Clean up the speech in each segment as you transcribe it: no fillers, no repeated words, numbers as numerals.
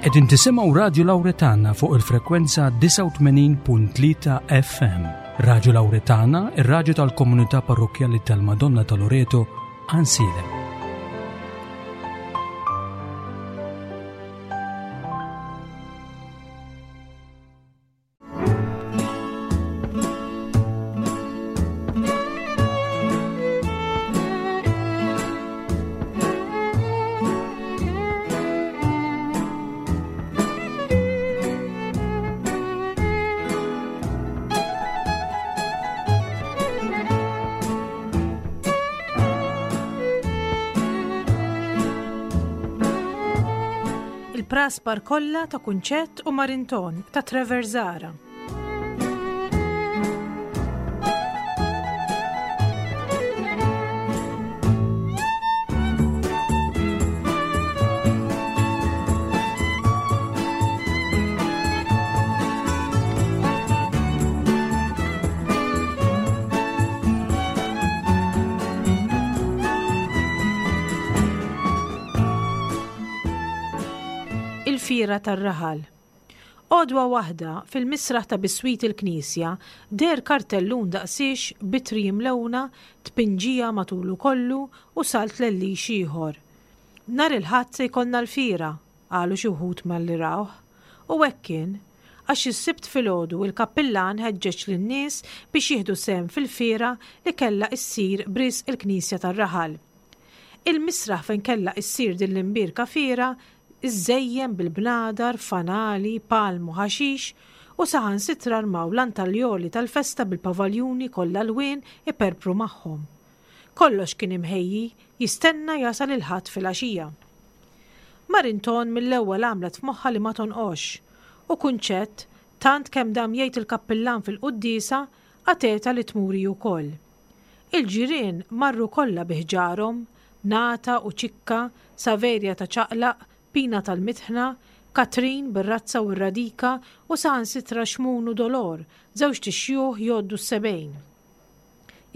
Qegħdin tisimgħu Radju Lawretana fuq il-frekwenza 89.3 FM. Radju Lawretana, ir-radju tal-komunità parrokkjali tal-Madonna ta' Loreto, Ansilem. Il-praspar kollha ta' Kunċett u Marinton ta' Trevor Zara. Il-fiera tar-raħal. Għodwa waħda, fil-misraħ ta' biswit il-knisja, deher kartellun daqsiex b'ittri mlewna, tpinġija matulu kollu u salt lellix ieħor. Nhar il-Ħadd se jkollna l-fiera, qalu xi wħud malli rawh. U hekk kien. Għax is-Sibt filgħodu il-kappillan ħeġġeġ lin-nies biex jieħdu sehem fil-fiera li kellha issir b'risq il-knisja tar-raħal. Il-misraħ fejn kellha issir din l-imbierka fiera iżżejjen bil-bnadar, fanali, palm u ħaxix u saħansitra rmaw l-antaljoli tal-festa bil-pavaljuni kollha lwien iperpru magħhom. Kollox kien imħejji jistenna jasal il-Ħadd filgħaxija. Marinton mill-ewwel għamlet f'moħħha li ma tonqosx u Kunċett, tant kemm dam jgħid il-kappillan fil-quddiesa, qatgħetha li tmur hi wkoll. Il-ġirien marru kollha bi ħġarhom, Nata u Ċikka, Saverja ta' Ċaqlaq, Pina tal-Mitħna, Katrin bir-razza u r-radika u saħansitra Xmun u Dolor, żewġt ixjuħ jgħoddu s-sebgħin.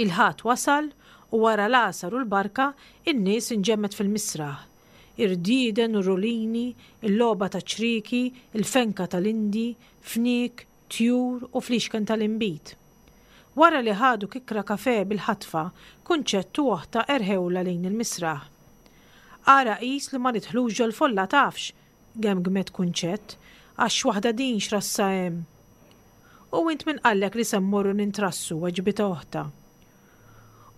Il-Ħadd wasal u wara l-għasar u l-barka, in-nies inġemgħet fil-misraħ. Irdieden u rulini, il-logħba taċ-ċrieki, il-fenka tal-Indi, fniek, tjur u fliexken tal-inbid. Wara li ħadu kikkra kafè bil-ħatfa, Kunċett u oħtha erħewlha lejn il-misraħ. Ara qis li ma nidħlux ġol-folla tafx! gemgmet Kunċett, għax x'waħda din x'rassa hemm! U int min qallek li se mmorru nintrassu, weġbitha oħtha.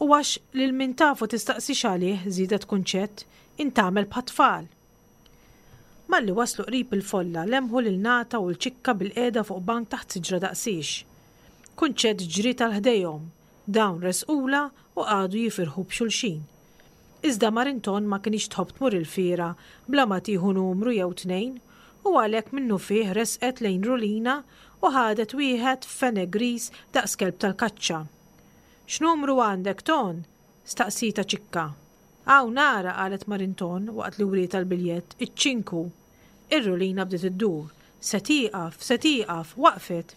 U għax lil min tafu tistaqsix għalih, żiedet Kunċett, int tagħmel bħat-tfal. Malli waslu qrib il-folla, lemħu lil Nata u 'l Ċikka bilqiegħda fuq bank taħt siġra daqsiex. Kunċett ġriet għal ħdejhom. Dawn resqulha u qagħdu jifirħu b'xulxin. Iżda Marinton ma kinitx tħobb tmur il-fiera bla ma tieħu numru jew tnejn u għalhekk minnufih resqet lejn Rulina u ħadet wieħed f'fenek griż daqs kelb tal-kaċċa. X'numru għandek, Ton? staqsietha Ċikka. Hawn ara, qalet Marinton waqt li wrietha l-biljett, iċ-ċinku. Ir-rulina bdiet iddur. Se tieqaf, se tieqaf, waqfet.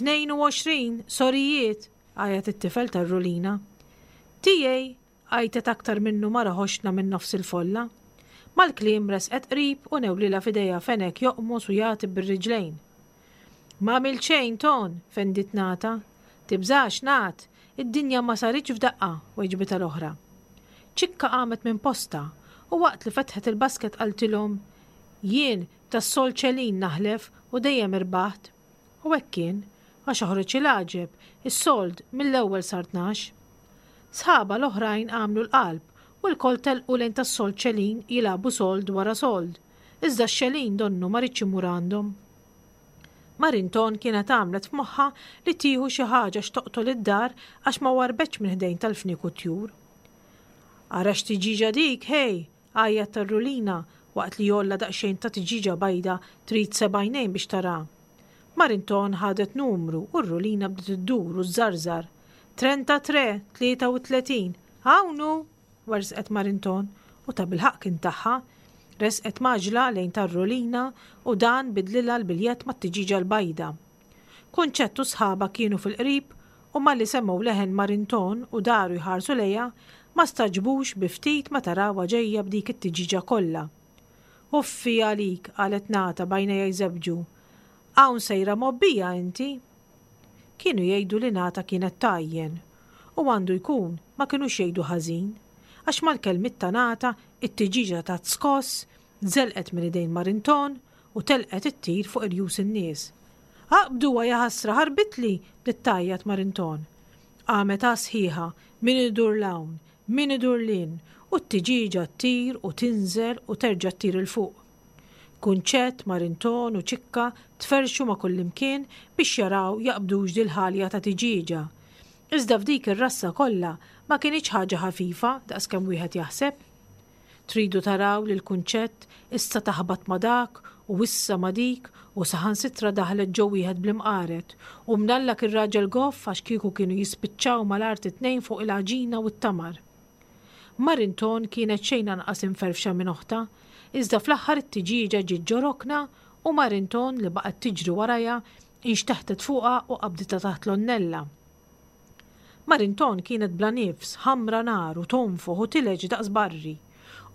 22, sorijiet! għajat it-tifel tar-rulina. Tiegħi! għajtet aktar minnu mara ħoxna minn nofs il-folla. Mal-kliem resqet qrib u newlilha f'idejha fenek joqmos u jagħti bir-riġlejn. M'għamilt xejn, Ton, fendiet Nata. Tibżax, Nat, id-dinja ma saritx f'daqqa, weġbitha l-oħra. Ċikka qamet minn postha u waqt li fetħet il-basket qaltilhom, Jien tas-sol ċelin naħlef u dejjem irbaħt. U hekk kien, għax oħroġ il-għaġeb, is-sold mill-ewwel sar 12. Sħabha l-oħrajn għamlu l-qalb u lkoll telqu lejn tas-sold ċelin jilagħbu sold wara sold. Iżda x-xelin donnu ma riedx imur għandhom. Marinton kienet għamlet f'moħħha li tieħu xi ħaġa x'toqtol id-dar għax ma warrbetx minn ħdejn tal-fniek u t-tjur. Ara x'tiġieġa dik, ħej! għajjat tar-Rulina waqt li għolla daqsxejn ta' tiġieġa bajda trid seb'għajnejn biex taraha. Marinton ħadet numru u r-Rulina bdiet iddur u żżarżar. Trentatrè, 33, hawn hu! Werżqet Marinton u tabilħaqq kien tagħha. Resqet mgħaġġla lejn tar-Rulina u dan bidlilha l-biljett mat-tiġieġa l-bajda. Kunċett u sħabha kienu fil-qrib u malli semgħu leħen Marinton u daru jħarsu lejha, ma stagħġbux bi ftit meta rawha ġejja b'dik it-tiġieġa kollha. Uffi għalik, qalet Nata b'għajnejha jżebbġu. Hawn sejra mgħobbija inti! Kienu jgħidu li Nata kienet tgħajjen. U għandu jkun, ma kinux jgħidu ħażin. Għax mal-kelmiet ta' Nata, it-tiġieġa tat skoss, żelqet minn idejn Marinton u telqet ittir fuq irjus in-nies. Aqbduha jaħasra ħarbitli! bdiet tgħajjat Marinton. Qamet għas sħiħa, min idur 'l hawn, min idur 'l hinn, u t-tiġieġa ttir u tinżel u terġa' ttir 'il fuq. Kunċett, Marinton u Ċikka tferrxu ma' kullimkien biex jaraw jaqbdux dil-ħalja ta' tiġieġa. Iżda f'dik ir-rassa kollha ma kinitx ħaġa ħafifa daqskemm wieħed jaħseb. Tridu taraw lil Kunċett issa taħbat ma' dak u issa ma' dik u saħansitra daħlet ġo wieħed bl-imqaret u mnallak ir-raġel goff għax kieku kienu jispiċċaw mal-art it-tnejn fuq il-għaġina u t-tamar. Marinton kienet xejn anqas imferfxa minn oħtha, iżda fl-aħħar it-tiġieġa ġiet ġo rokna u Marinton li baqgħet tiġri warajha inxteħtet fuqha u qabditha taħt l-għonnella. Marinton kienet bla nifs, ħamra nar u tonfoħ u tileġ daqs barri.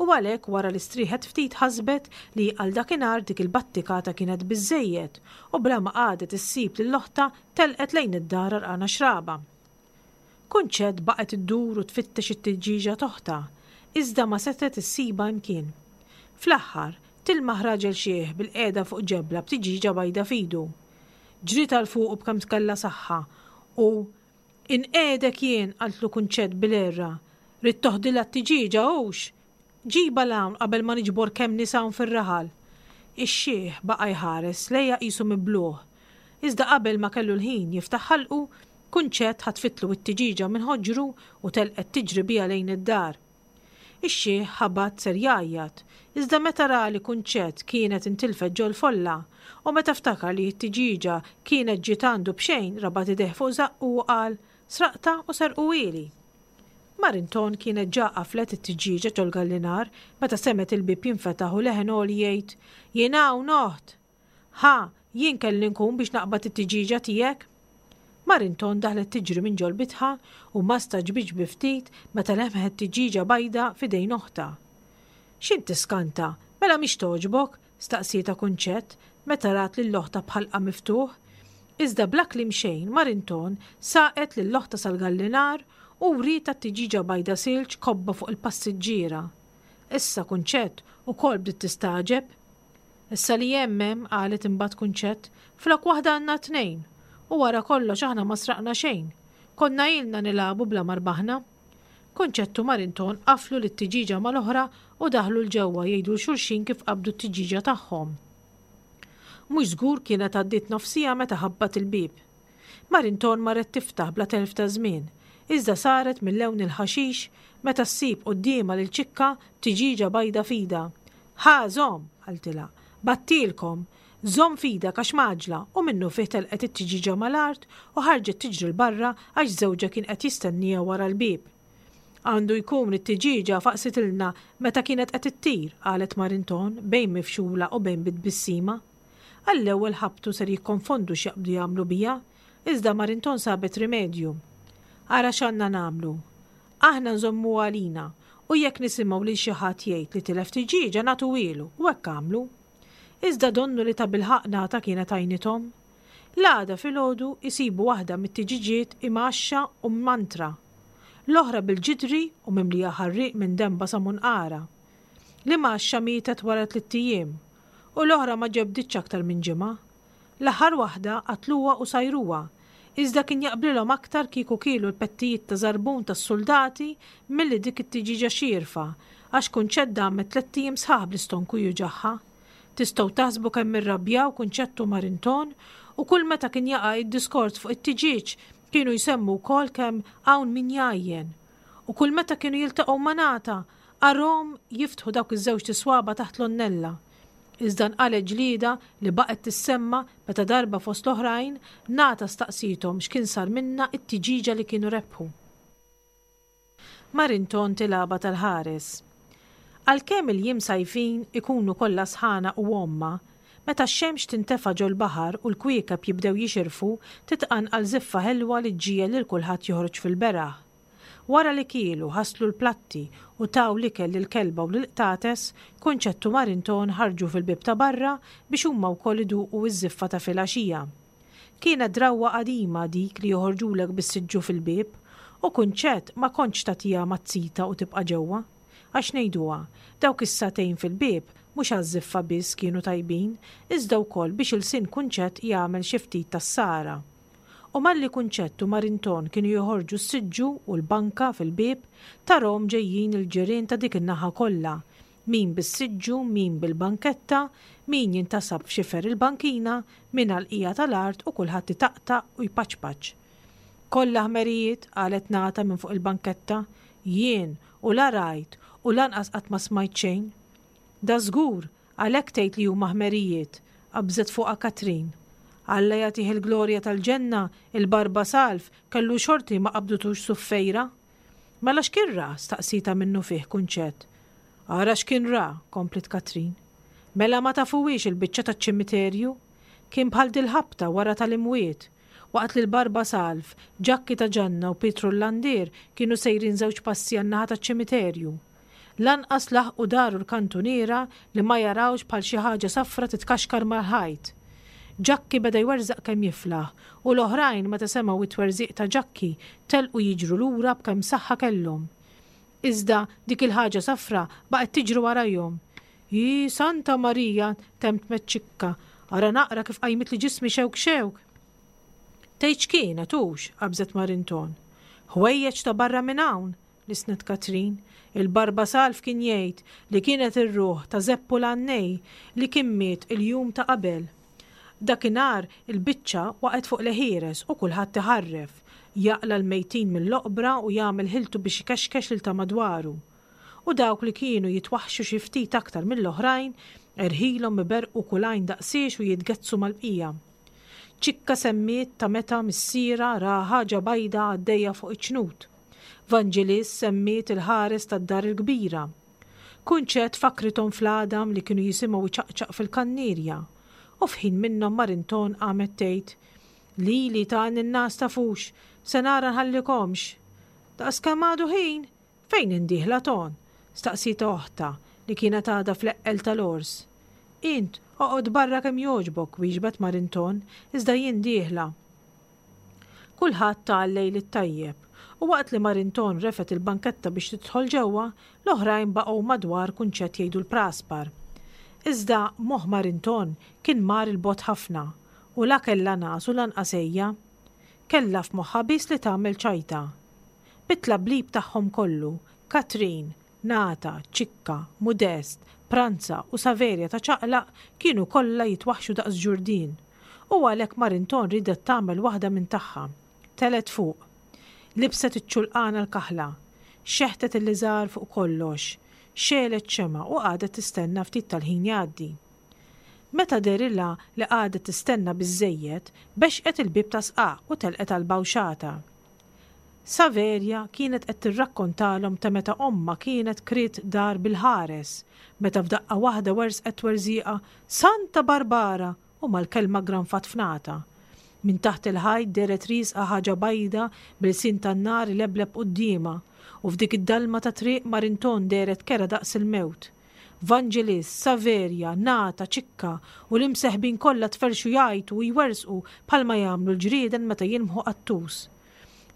U għalhekk wara li strieħet ftit ħasbet li għal dakinhar dik il-battikata kienet biżżejjed u bla ma qagħdet issib lil oħtha telqet lejn id-dar għarqana xraba. Kunċett baqgħet iddur u tfittex it-tiġieġa t'oħtha, iżda ma setgħet issibha imkien. Fl-aħħar, tilmaħ raġel xiħ bilqiegħda fuq ġebla b'tiġieġa bajda f'idu. Ġriet għal fuqu b'kemm tkellha saħħa u Inqiegħdek jien, qaltlu Kunċett bil-għerra. Ridt toħdilha t-tiġieġa, hux? Ġibha 'l hawn qabel ma niġbor kemm nies hawn fir-raħal. Ix-xiħ baqa' jħares lejha qisu mibluh. Iżda qabel ma kellu l-ħin jiftaħ ħalqu, Kunċett ħatfitlu t-tiġieġa minn ħoġru u telqet tiġri biha lejn id-dar. Ix-xiħ ħabat ser jgħajjat, iżda meta ra li Kunċett kienet intilfet ġol-folla, u meta ftakar li t-tiġieġa kienet ġiet għandu b'xejn rabat idejh fuq żaqqu u qal, Sraqtha u serquhieli. Marinton kienet ġa qaflet it-tiġieġa ġol-gallinar meta semgħet il-bieb jinfetaħ u leħen għoli jgħid, Jien hawn, oħt! Ħa, jien kelli nkun biex naqbad it-tiġieġa tiegħek! Marinton daħlet tiġri minn ġol-bitħa u ma stagħġbitx bi ftit meta lemħet tiġieġa bajda f'idejn oħtha. X'int tiskanta, mela mhix togħġbok? staqsietha Kunċett meta rat lil oħtha b'ħalqha miftuħ. Iżda bla kliem xejn Marinton saqet lil oħtha sal-gallinar u wrietha t-tiġieġa bajda silġ kobba fuq il-passiġġiera. Issa Kunċett ukoll bdiet tistagħġeb. Issa li hemm hemm, qalet imbagħad Kunċett, flok waħda għandna tnejn. U wara kollox aħna ma sraqna xejn. Konna ilna nilagħbu bla ma rbaħna. Kunċett u Marinton qaflu lit-tiġieġa mal-oħra u daħlu 'l ġewwa jgħidu 'l xulxin kif qabdu t-tiġieġa tagħhom. Mhux żgur kienet għaddiet nofs siegħa meta ħabbat il-bieb. Marinton marret tiftaħ bla telf ta' żmien, iżda saret minn lewn il-ħaxix meta ssib quddiemha lil Ċikka b'tiġieġa bajda f'idha. Ħa, żomm! qaltilha. Bgħattilkom. Żomm f'idek għax mgħaġġla u minnufih telqet it-tiġieġa mal-art u ħarġet tiġri 'l barra għax żewġha kien qed jistennieha wara l-bieb. Għandu jkun it-tiġieġa faqsitilna meta kienet qed ittir, qalet Marinton bejn mifxula u bejn bi tbissima. Għall-ewwel ħabtu ser jikkonfondu x'jaqbdu jagħmlu biha, iżda Marinton sabet rimedju. Ara x'għandna nagħmlu. Aħna nżommuha għalina, u jekk nisimgħu lil xi ħadd jgħid li tilef tiġieġa nagħtuhielu, u hekk għamlu. Iżda donnu li tabilħaqq nagħta kienet għajnithom. L-għada filgħodu jsibu waħda mit-tiġiġiet imgħaxxa u mmantra. L-oħra bil-ġidri u mimlija ħarrieq minn denbha sa munqarha. L-imgħaxxa mietet wara tlitt ijiem, u l-oħra ma ġebditx aktar minn ġimgħa. L-aħħar waħda qatluha u sajruha, iżda kien jaqblilhom aktar kieku kielu l-pettijiet ta' żarbun tas-suldati milli dik it-tiġieġa xierfa, għax Kunċett damet tlett ijiem sħaħ bl-istonku juġagħha. Tistgħu taħsbu kemm irrabjaw Kunċett u Marinton, u kull meta kien jaqa' id-diskors fuq it-tiġieġ kienu jsemmu wkoll kemm hawn min jgħajjen. U kull meta kienu jiltaqgħu ma' Nata, arahom jiftħu dawk iż-żewġt iswaba' taħt l-għonnella. Iżda nqalgħet ġlieda li baqgħet tissemma meta darba fost l-oħrajn, Nata staqsiethom x'kien sar minnha t-tiġieġa li kienu rebħu. Marinton tilgħabha tal-ħares. Għalkemm il-jiem sajfin ikunu kollha sħana u għomma, meta x-xemx tintefa' ġol-baħar u l-kwiekeb jibdew jixirfu, titqanqal żiffa ħelwa li ġġiegħel lil kulħadd joħroġ fil-beraħ. Wara li kielu, ħaslu l-platti u taw l-ikel lill-kelba u lill-qtates, Kunċett u Marinton ħarġu fil-bieb ta' barra biex huma wkoll iduqu ż-żiffa ta' filgħaxija. Kienet drawwa qadima dik li joħorġulek bis-siġġu fil-bieb, u Kunċett ma kontx tagħtiha mazzita u tibqa' ġewwa. Għax ngħiduha, dawk is-sagħtejn fil-bieb mhux għaż-żiffa biss kienu tajbin, iżda wkoll biex ilsien Kunċett jagħmel xi ftit tas-sahra. U malli Kunċett u Marinton kienu joħorġu s-siġġu u l-banka fil-bieb, tarahom ġejjin il-ġirien ta' dik in-naħa kollha, min bis-siġġu, min bil-banketta, min jintasab f'xifer il-bankina, min għall-qiegħa tal-art u kulħadd itaqtaq u jpaċpaċ. Kollha ħmerijiet, qalet Nata minn fuq il-banketta, jien u la rajt u lanqas qatt ma smajt xejn. Dażgur, Għalhekk tgħid li huma ħmerijiet, qabżet fuqha Katrin. Alla jagħtih il-glorja tal-ġenna, il-Barba Salv kellu xorti ma qabdutux suffejra. Mela x'kien ra? staqsietha minnufih Kunċett. Ara x'kien ra, kompliet Katrin. Mela ma tafuhiex il-biċċa taċ-ċimiterju? Kien bħal dil-ħabta wara tal-imwiet, waqt li l-Barba Salv, Ġakki ta' Ġanna u Pietru l-Landier kienu sejrin żewġ passi għan-naħa taċ-ċimiterju. Lanqas laħqu daru l-kantuniera li ma jarawx bħal xi ħaġa safra titkaxkar mal-ħajt. Ġakki beda jwerżaq kemm jiflaħ u l-oħrajn meta semgħu t-twerżiq ta' Ġakki telqu jiġru lura b'kemm saħħa kellhom. Iżda dik il-ħaġa safra baqgħet tiġri warajhom. Hi, Santa Marija! temtmet Ċikka. Ara naqra kif qajmitli ġismi xewk xewk! Tgħid x'kienet hux? qabżet Marinton. Ħwejjeġ ta' barra minn hawn! Lissnet Katrin. Il-Barba Salv kien jgħid li kienet ir-ruħ ta' Zeppu l-għannej li kien miet il-jum ta' qabel. Dakinhar il-biċċa waqgħet fuq l-għeħieres u kulħadd iħarref, jaqla' l-mejtin mill-oqbra u jagħmel ħiltu biex ikexkex lil ta' madwaru. U dawk li kienu jitwaħħxu xi ftit aktar mill-oħrajn erħilhom iberrqu kull għajn daqsiex u jitgezzsu mal-bqija. Ċikka semmiet ta' meta missierha ra ħaġa bajda għaddejja fuq iċ-ċnut. Vanġelis semmiet il-ħares tad-dar il-kbira. Kunċett fakkrithom fl-għadam li kienu jisimgħu jċaqċaq fil-kannierja. U f'ħin minnhom Marinton qamet tgħid, Lili ta' n-nas tafux, se nara nħallikomx. Daqs kemm għadu ħin, fejn int dieħla Ton? staqsietha oħtha li kienet għadha fl-eqqel tal-għors. Int, oqgħod barra kemm jogħġbok, wieġbet Marinton, iżda jien dieħla. Kulħadd ta l-lejl it-tajjeb, u waqt li Marinton refgħet il-banketta biex tidħol ġewwa, l-oħrajn baqgħu madwar Kunċett jgħidu l-praspar. Iżda moħħ Marinton kien mar 'il bogħod ħafna, u la kellha ngħas u lanqas għejja. Kellha f'moħħha biss li tagħmel ċajta. Bit-tlablib tagħhom kollu, Katrin, Nata, Ċikka, Mudest, Pranza u Saverja ta' Ċaqlaq kienu kollha jitwaħħxu daqs ġurdien. U għalhekk Marinton riedet tagħmel waħda minn tagħha. Telgħet fuq. Libset iċ-ċulqana l-kaħla. Xeħtet il-liżar fuq kollox. Xegħlet xemgħa u qagħdet tistenna ftit tal-ħin jgħaddi. Meta dehrilha li qagħdet tistenna biżżejjed, bexqet il-bieb ta' sqaq u telqet għall-bawxata. Saverja kienet qed tirrakkontalhom ta' meta ommha kienet kriet dar bil-ħares, meta f'daqqa waħda werżqet twerżieqa Santa Barbara! u mal-kelma ggranfat fnata. Minn taħt il-ħajt dehret riesqa ħaġa bajda b'ilsien tan-nar ilebleb quddiemha, u f'dik id-dalma ta' triq Marinton dehret kerha daqs il-mewt. Vanġelis, Saverja, Nata, Ċikka u l-imseħbin kollha tferrxu jgħajtu u jwerżqu bħalma jagħmlu l-ġrieden meta jilmħu qattus.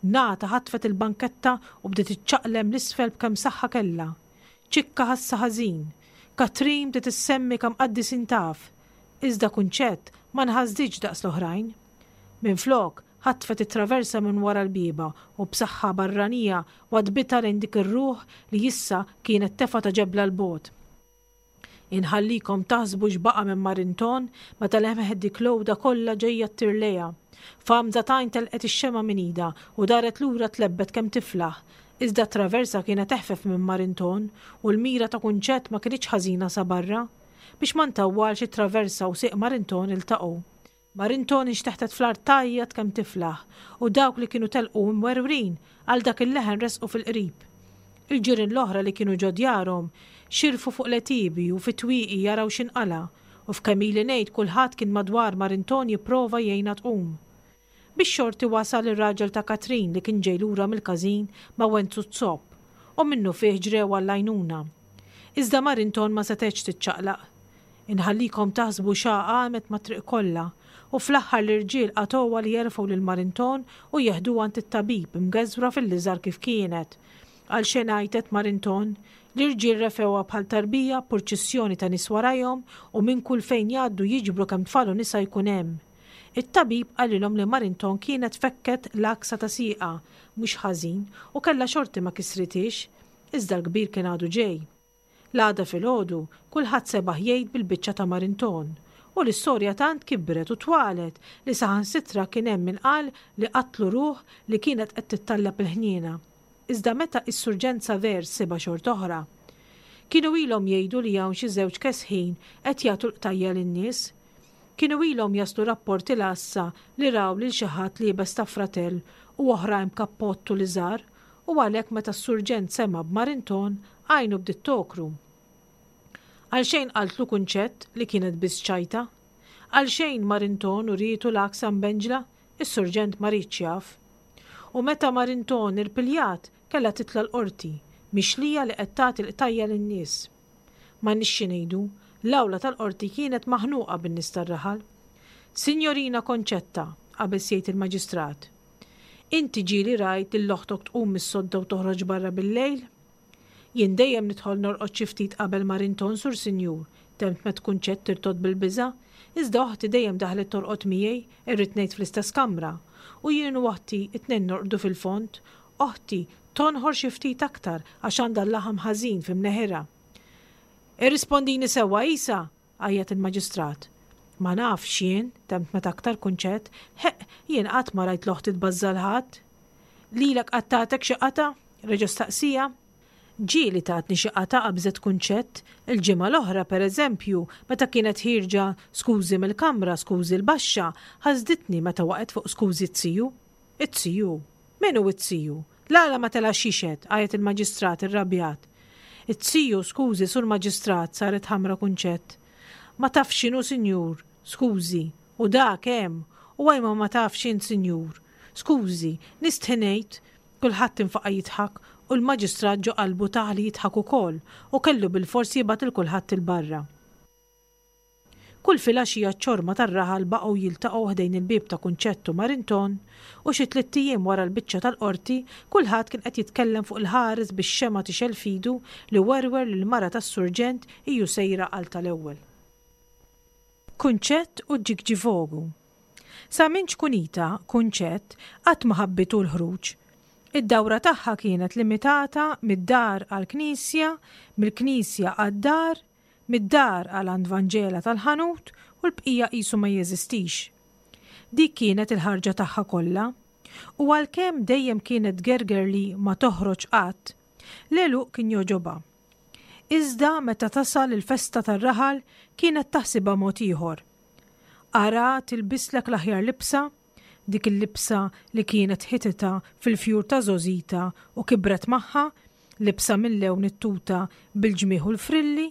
Nata ħatfet il-banketta u bdiet iċċaqlem 'l isfel b'kemm saħħa kellha. Ċikka ħassha ħażin. Katrin bdiet issemmi kemm qaddisin taf. Iżda Kunċett ma nħasditx daqs l-oħrajn. Minflok, ħatfet it-traversa minn wara l-bieba u b'saħħa barranija waddbitha lejn dik ir-ruħ li issa kienet tefgħa ta' ġebla 'l bogħod. Inħallikom taħsbu x'baqa' minn Marinton meta lemħet dik l-għuda kollha ġejja ttir lejha. F'għamża t'għajn telqet ix-xemgħa minn idha u daret lura tlebbet kemm tiflaħ. Iżda t-traversa kienet eħfef minn Marinton u l-mira ta' Kunċett ma kinitx ħażina sa barra. Biex ma ntawwalx it-traversa u sieq Marinton iltaqgħu. Marinton inxteħtet fl-art tgħajjat kemm tiflaħ u dawk li kienu telqu imwerwrin għal dak il-leħen resqu fil-qrib. Il-ġirien l-oħra li kienu ġo djarhom xirfu fuq l-għetiebi u fit-twieqi jaraw x'inqala' u f'kemm ili ngħid kulħadd kien madwar Marinton jipprova jgħinha tqum. Bix-xorti wasal ir-raġel ta' Katrin li kien ġej lura mill-każin ma' Wenzu z-Zopp u minnufih ġrew għall-għajnuna. Iżda Marinton ma setgħetx tiċċaqlaq. Inħallikom taħsbu x'għa qamet mat-triq kollha u fl-aħħar l-irġiel qatgħuha li jerfgħu lil Marinton u jeħduha għand it-tabib imgeżwra fil-liżar kif kienet. Għalxejn għajtet Marinton, l-irġiel refgħuha bħal tarbija b'purċissjoni ta' nies warajhom u minn kull fejn jgħaddu jiġbru kemm tfal u nisa jkun hemm. It-tabib qalilhom li Marinton kienet fekket l-għaksa ta' sieqha mhux ħażin u kellha xorti ma kisrithiex. Iżda l-kbir kien għadu ġej. L-għada filgħodu, kulħadd sebaħ jgħid bil-biċċa ta' Marinton. U l-istorja tant kibret u twalet li saħansitra kien hemm min qal li qatlu ruħ li kienet qed tittallab il-ħniena. Iżda meta is-Surġent Saver sibha xort'oħra. Kienu ilhom jgħidu li hawn xi żewġ kesħin qed jagħtu l-qtajja' lin-nies. Kienu ilhom jaslu rapporti l-għassa li raw lil xi ħadd liebes ta' fratell u oħrajn b'kappott u liżar u għalhekk meta s-surġent sema' b'Marinton għajnu bdiet tokru. Għalxejn qaltlu Kunċett li kienet biss ċajta. Għalxejn Marinton urietu l-għaksa mbenġla, is-surġent ma riedx jaf. U meta Marinton irpiljat kellha titla' l-qorti, mixlija li qed tagħti l-qtajja' lin-nies. M'għandniex xi ngħidu, l-awla tal-qorti kienet maħnuqa bin-nies tar-raħal. Sinjorina Konċetta, qabeż jgħid il-maġistrat. Inti ġieli rajt lil oħtok tqum mis-sodda u toħroġ barra bil-lejl? Jien dejjem nidħol norqod xi ftit qabel Marinton, Sur Sinjur, temtmet Kunċett tirtod bil-biża', iżda oħti dejjem daħlet torqod miegħi, irrid ngħid fl-istess kamra. U jien u oħti t-tnejn norqdu fil-fond. Oħti tonħor xi ftit aktar għax għandha l-laħam ħażin fi mneħirha. Irrispondini sewwa, Isa! Għajjat il-Maġistrat. Ma nafx jien, temtmet aktar Kunċett, ħeqq, jien qatt ma rajt l-oħti tbażża' 'l ħadd. Lilek qatt tatek xi qatgħa? reġa' staqsieha. Ġieli tatni xi qatgħa qabżet Kunċett, il-ġimgħa l-oħra, per eżempju, meta kienet ħierġa skużi mill-kamra, skużi l-baxxa, ħasditni meta waqgħet fuq skużi t-tiju. It-tiju? Min hu it-tiju? L-għala ma telax jixhed? għajjat il-Maġistrat irrabjat. It-tiju, skużi, Sur Maġistrat, saret ħamra Kunċett. Ma tafx x'inhu, sinjur, skużi. U dak hemm, u ajma ma tafx int, sinjur. Skużi, nistħi ngħid. Kulħadd infaqa' jidħak u l-Maġistrat ġo qalbu tah li jidħak ukoll u kellu bilfors jibgħat 'il kulħadd 'il barra. Kull filgħaxija ċ-ċorma tar-raħal baqgħu jiltaqgħu ħdejn il-bieb ta' Kunċett u Marinton u xi tlitt ijiem wara l-biċċa tal-qorti kulħadd kien qed jitkellem fuq il-ħares bix-xemgħa tixgħel f'idu li werwer lill-mara tas-surġent iju sejra għal tal-ewwel. Kunċett u ġigġivogu. Sa minn ċkunitha, Kunċett qatt ma ħabbitu l-ħruġ. Id-dawra tagħha kienet limitata mid-dar għall-knisja, mill-knisja għad-dar, Mid-dar għal għand Vanġela tal-ħanut u l-bqija qisu ma jeżistix. Dik kienet il-ħarġa tagħha kollha. U għalkemm dejjem kienet tgerger li ma toħroġ qatt, l-għeluq kien jogħġobha. Iżda meta tasal il-festa tar-raħal kienet taħsibha mod ieħor. Ara tilbislek l-aħjar libsa, dik il-libsa li kienet ħititha fil-fjur ta' żgħożitha u kibret magħha, libsa minn lewn it-tuta bil-ġmieħ u l-frilli,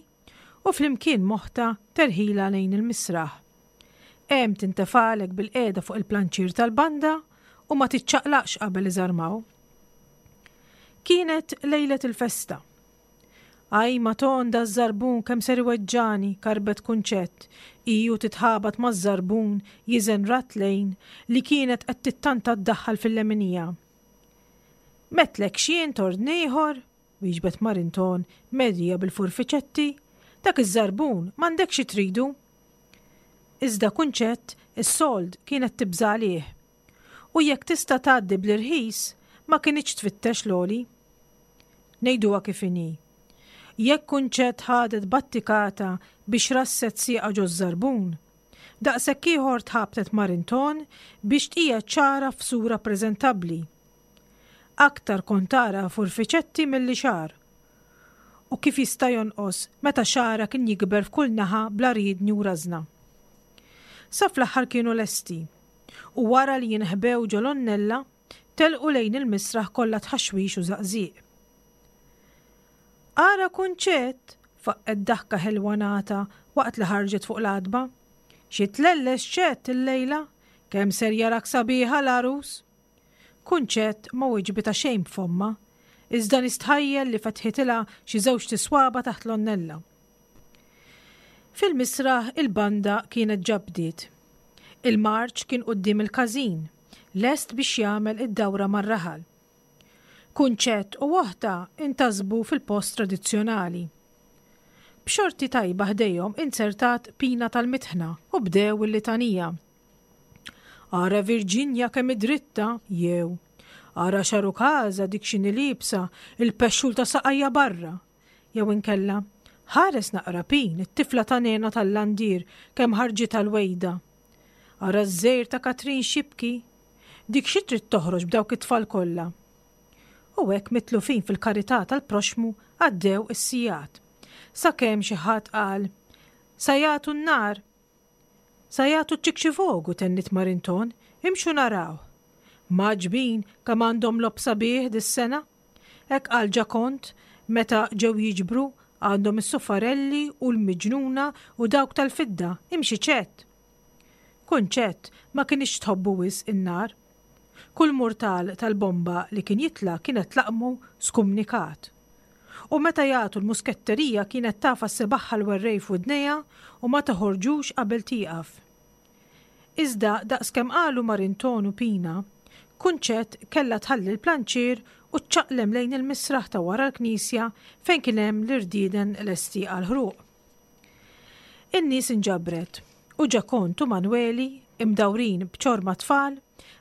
u flimkien m'oħtha terħilha lejn il-misraħ. Hemm tintefagħlek bilqiegħda fuq il-planċier tal-banda u ma tiċċaqlaqx qabel iżarmaw. Kienet lejlet il-festa. Aj, Maton, da ż-żarbun kemm ser iweġġagħni, karbet Kunċett, hi u titħabat maż-żarbun jiżen ratlejn li kienet qed tittanta ddaħħal fil-leminija. M'għedtlekx jien tordni ieħor? wieġbet Marinton medhija bil-furfiċetti. Dak iż-żarbun m'għandekx xi tridu. Iżda Kunċett is-sold kienet tibża' għalih. U jekk tista' tgħaddi bl-irħis ma kinitx tfittex l-għoli. Ngħiduha kif inhi. Jekk Kunċett ħadet battikata biex rasset sieqha ġoż-żarbun, daqshekk ieħor tħabtet Marinton biex tqiegħed xagħarha f'sura preżentabbli. Aktar kont tara furfiċetti milli xagħar. U kif jista' jonqos meta xagħarha kien jikber f'kull naħa bla riedni u rażna. Sa fl-aħħar kienu lesti, u wara li jinħbew ġo l-għonnella, telqu lejn il-misraħ kollha tħaxwix u żaqżiq. Ara Kunċett! faqqgħet daħka ħelwa Nata waqt li ħarġet fuq l-għatba. Xi tlelles ċett illejla! Kemm ser jarak sabiħa l-għarus! Kunċett ma wiġbitha xejn b'fommha, iżda nistħajjel li fetħitilha xi żewġt iswaba' taħt l-għonnella. Fil-misraħ il-banda kienet ġa bdiet. Il-marċ kien quddiem il-każin, lest biex jagħmel id-dawra mar-raħal. Kunċett u oħtha intasbu fil-post tradizzjonali. B'xorti tajba ħdejhom inzertat Pina tal-Mitħna u bdew il-litanija. Ara Virginia kemm hi dritta, jew Ara x'għarukaża dik x'inhi liebsa, il-pexxul ta' saqajja barra. Jew inkella, Ħares naqra Pin, it-tifla ta' Nena tal-Landier kemm ħarġitha l-wejda. Ara ż-żgħir ta' Katrin x'jibki. Dik xi trid toħroġ b'dawk it-tfal kollha? U hekk mitlufin fil-karità tal-proxxmu għaddew is-sigħat. Sakemm xi ħadd qal, Sa jagħtu n-nar! Sa jagħtu ċ-ċikċivogu, tenniet Marinton, imxu narawh. Mgħaġġbin kemm għandhom logħob sabiħ dis-sena. Hekk qal Ġakont meta ġew jiġbru, għandhom is-sufarelli u l-miġnuna u dawk tal-fidda, imxi Ċett! Kunċett ma kinitx tħobbu wisq in-nar. Kull murtal tal-bomba li kien jitla' kienet tlaqmu skumnikat. U meta jagħtu l-musketterija kienet tagħfas sebagħha l-werrej f'widnejha u ma toħorġux qabel tieqaf. Iżda daqs kemm qalu Marinton u Pina, Kunċett kellha tħalli l-planċier u ċċaqlem lejn il-misraħ ta' wara l-knisja fejn kien hemm l-irdieden lesti għall-ħruq. In-nies inġabret, u Ġakont u Manweli, imdawrin b'ċorma tfal,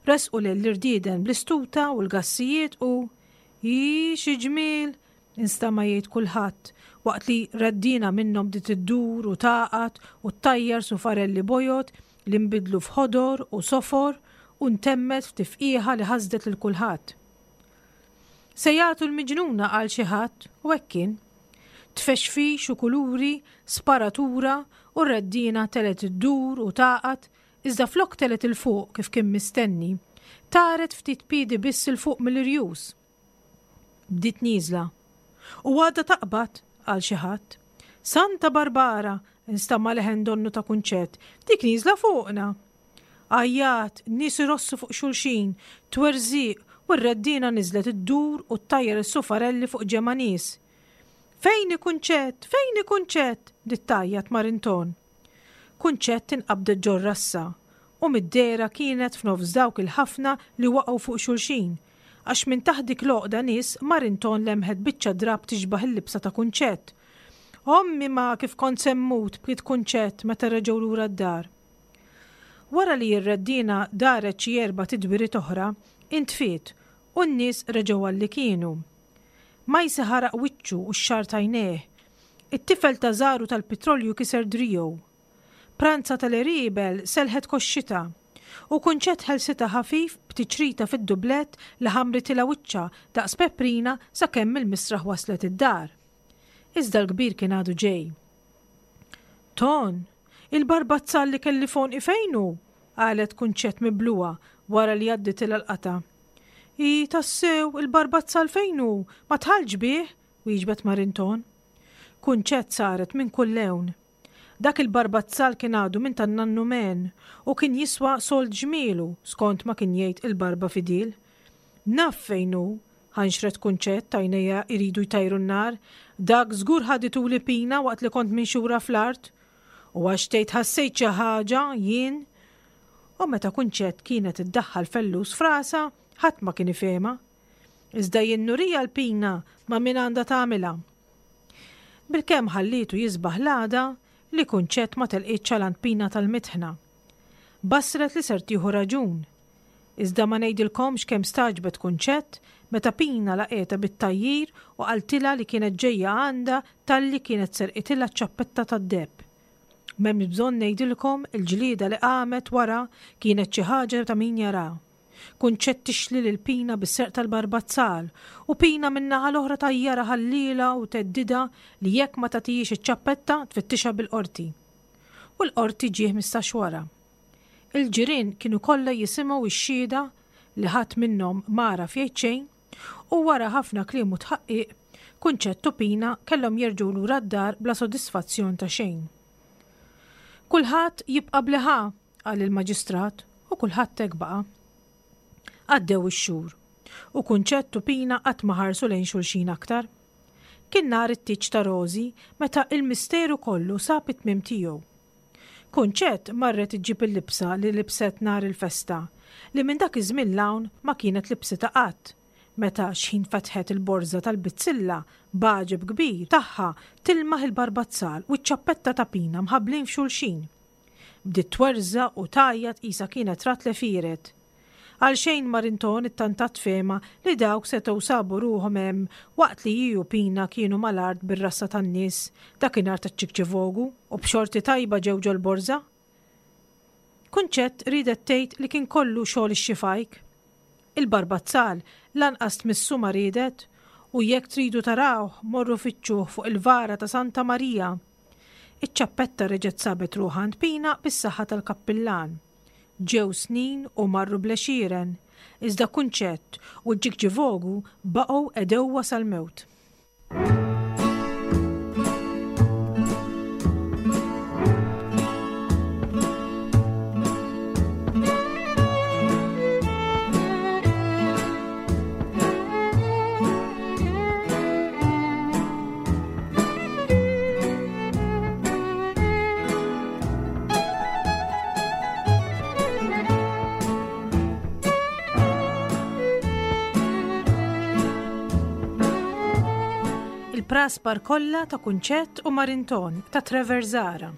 resqu lejn l-irdieden bl-istuta u l-gassijiet u, Ii, xi ġmiel! instama' jgħid kulħadd, waqt li reddiena minnhom bdiet iddur u tagħqad u ttajjar sufarelli bojod li nbidlu f'ħodor u sofor u ntemmet f'tifqigħa li ħasdet lil kulħadd. Se jagħtu l-miġnuna qal xi ħadd u hekk kien. Tfexfix u kuluri, sparatura u r-reddiena telgħet iddur u tagħqad iżda flok telgħet 'il fuq kif kien mistenni, taret ftit piedi biss 'il fuq mill-irjus. Bdiet nieżla. U għadha taqbad, qal xi ħadd. Santa Barbara! instama' leħen donnu ta' Kunċett, dik nieżla fuqna! Għajjat, nies irossu fuq xulxin, twerżiq u r-reddiena niżlet iddur u ttajjar is-sufarelli fuq ġemgħa nies. Fejn hi Kunċett? Fejn hi Kunċett? bdiet tgħajjat Marinton. Kunċett inqabdet ġor-rassa u mid-dehra kienet f'nofs dawk il-ħafna li waqgħu fuq xulxin, għax minn taħt dik l-għoqda nies Marinton lemħet biċċa drapp tixbah il-libsa ta' Kunċett. Ommi ma kif kont se mmut, bkiet Kunċett meta reġgħu lura d-dar. Wara li r-reddiena daret xi erba' tidwiriet oħra, intfiet u n-nies reġgħu għal li kienu. Majsi ħaraq wiċċu u x-xagħar t'għajnejh. It-tifel ta' żaru tal-pitrolju kiser driegħu. Pranza tal-għeriebel selħet koxxitha. U Kunċett ħelsitha ħafif b'tiċrita fid-dublett li ħammritilha wiċċha daqs peprina sakemm mill-misraħ waslet id-dar. Iżda l-kbir kien għadu ġej. Ton, il-barbazzal li kelli f'għonqi fejn hu? qalet Kunċett miblugħa wara li għadditilha l-qatgħa. Ii, tassew, il-barbazzal fejn hu? Ma dħaltx bih? wieġbet Marinton. Kunċett saret minn kull lewn. Dak il-barbazzal kien għadu minn tan-nannu Men u kien jiswa sold ġmielu, skont ma kien jgħid il-barba fidil. Naf fejn hu, ħanxret Kunċett għajnejha jridu jtajru n-nar, dak żgur ħadituli Pina waqt li kont minxura fl-art. U għax tgħid ħassejt xi ħaġa, jien, U meta Kunċett kienet iddaħħal fellus f'rasha, ħadd ma kien ifehimha. Iżda jien nuriha l-pina ma' min għandha tagħmilha. Bilkemm ħallietu jisbaħ l-għada li Kunċett ma telqitx għal għand Pina tal-mitħna. Bassret li ser tieħu raġun. Iżda ma ngħidilkomx kemm stagħġbet Kunċett meta Pina laqgħetha bit-tgħajjir u qaltilha li kienet ġejja għandha talli kienet serqitilha ċ-ċappetta tad-deheb. M'hemmx bżonn ngħidilkom il-ġlieda li qamet wara kienet xi ħaġa ta' min jara. Kunċett tixli lil Pina bis-serq tal-barbazzal u Pina min-naħa l-oħra tgħajjarha ħalliela u theddidha li jekk ma tagħtihiex iċ-ċappetta tfittixha bil-qorti. U l-qorti ġie 15 wara. Il-ġirien kienu kollha jisimgħu x-xhieda li ħadd minnhom m'għaraf jgħid xejn U wara ħafna kliem u tħaqqiq, Kunċett u Pina kellhom jerġgħu lura d-dar bla sodisfazzjon ta' xejn. Kulħadd jibqa' bli ħa, qal il-maġistrat, U kulħadd hekk baqa'. Għaddew ix-xhur, u Kunċett u Pina qatt ma ħarsu lejn xulxin aktar. Kien nhar it-tieġ ta' Rożi meta il-misteru kollu sab it-tmiem tiegħu. Kunċett marret iġġib il-libsa li libset nhar il-festa, li minn dak iż-żmien 'l hawn ma kienet libsitha qatt, meta xħin fetħet il-borża tal-bizzilla, b'għaġeb kbir tagħha tilmaħ il-barbazzal u ċ-ċappetta ta' Pina mħabblin f'xulxin. Bdiet twerżaq u tgħajjat qisha kienet rat l-għefieret. Għalxejn Marinton ittantat fehma li dawk setgħu sabu ruħhom hemm waqt li hi u Pina kienu mal-art bir-rassa tan-nies dakinhar taċ-ċikċivogu u b'xorti tajba ġew ġol-borża. Kunċett riedet tgħid li kien kollu xogħol ix-xifajk. Il-barbazzal lanqas tmissu ma riedet u jekk tridu tarawh morru fittxuh fuq il-vara ta' Santa Marija. Iċ-ċappetta reġgħet sabet ruħha għand Pina bis-saħħa tal-kappillan. Ġew snin u marru bl-għexieren, iżda Kunċett u l-Ġigġivogu baqgħu għedewwa sal-mewt. Il-praspar kollha ta' Kunċett u Marinton ta' Trevor Zahra.